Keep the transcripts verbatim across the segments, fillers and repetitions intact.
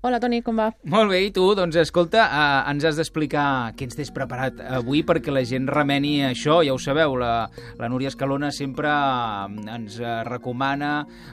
Hola, Toni, com va? Molt bé, i tu? Doncs escolta, eh, ens has d'explicar què ens tens preparat avui perquè la gent remeni això, ja ho sabeu, la, la Núria Escalona sempre ens recomana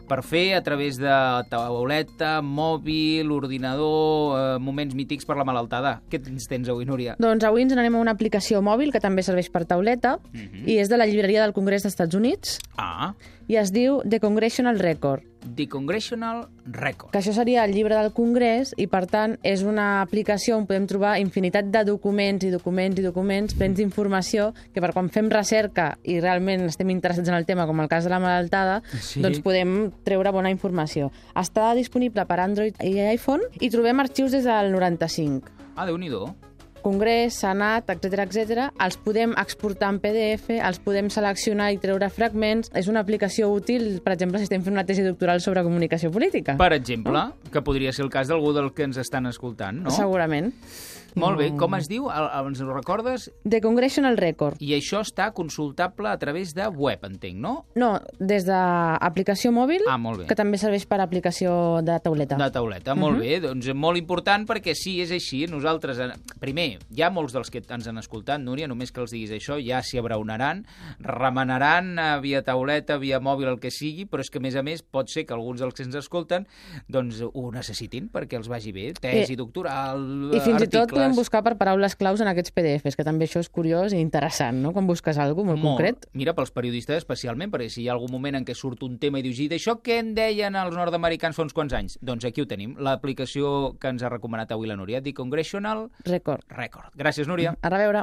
per fer a través de tauleta, mòbil, ordinador, eh, moments mítics per la malaltada. Què ens tens avui, Núria? Doncs avui ens n'anem a una aplicació mòbil que també serveix per tauleta Mhm. i és de la llibreria del Congrés dels Estats Units Ah, i es diu The Congressional Record, The Congressional Record. que això seria el llibre del Congrés i, per tant, és una aplicació on podem trobar infinitat de documents i documents i documents, plens d'informació, que per quan fem recerca i realment estem interessats en el tema, com el cas de la malaltada, Sí. doncs podem treure bona informació. Està disponible per Android i iPhone i trobem arxius des del noranta-cinc. Ah, Déu-n'hi-do. Congrés, Senat, etcètera, etcètera, els podem exportar en P D F, els podem seleccionar i treure fragments. És una aplicació útil, per exemple, si estem fent una tesi doctoral sobre comunicació política. Per exemple, que podria ser el cas d'algú del que ens estan escoltant, no? Segurament. Molt bé, com es diu? El, el, ens ho recordes? The Congressional Record. I això està consultable a través de web, entenc, no? No, des d'aplicació mòbil, Ah, molt bé. que també serveix per aplicació de tauleta. De tauleta, molt bé. Doncs molt important perquè sí, és així. Nosaltres, eh, primer, hi ha molts dels que ens han escoltat, Núria, només que els diguis això, ja s'hi abraunaran, remenaran eh, via tauleta, via mòbil, el que sigui, però és que, a més a més, pot ser que alguns dels que ens escolten doncs ho necessitin perquè els vagi bé. Tesi, I- doctoral, I fins i tot articles... podem buscar per paraules claus en aquests P D Fs, que també això és curiós i interessant, no?, quan busques alguna cosa molt, concret. Mira, pels periodistes especialment, perquè si hi ha algun moment en què surt un tema i dius, i d'això què en deien els nord-americans fa uns quants anys? Doncs aquí ho tenim, l'aplicació que ens ha recomanat avui la Núria, The Congressional Record. Record. Gràcies, Núria. A reveure.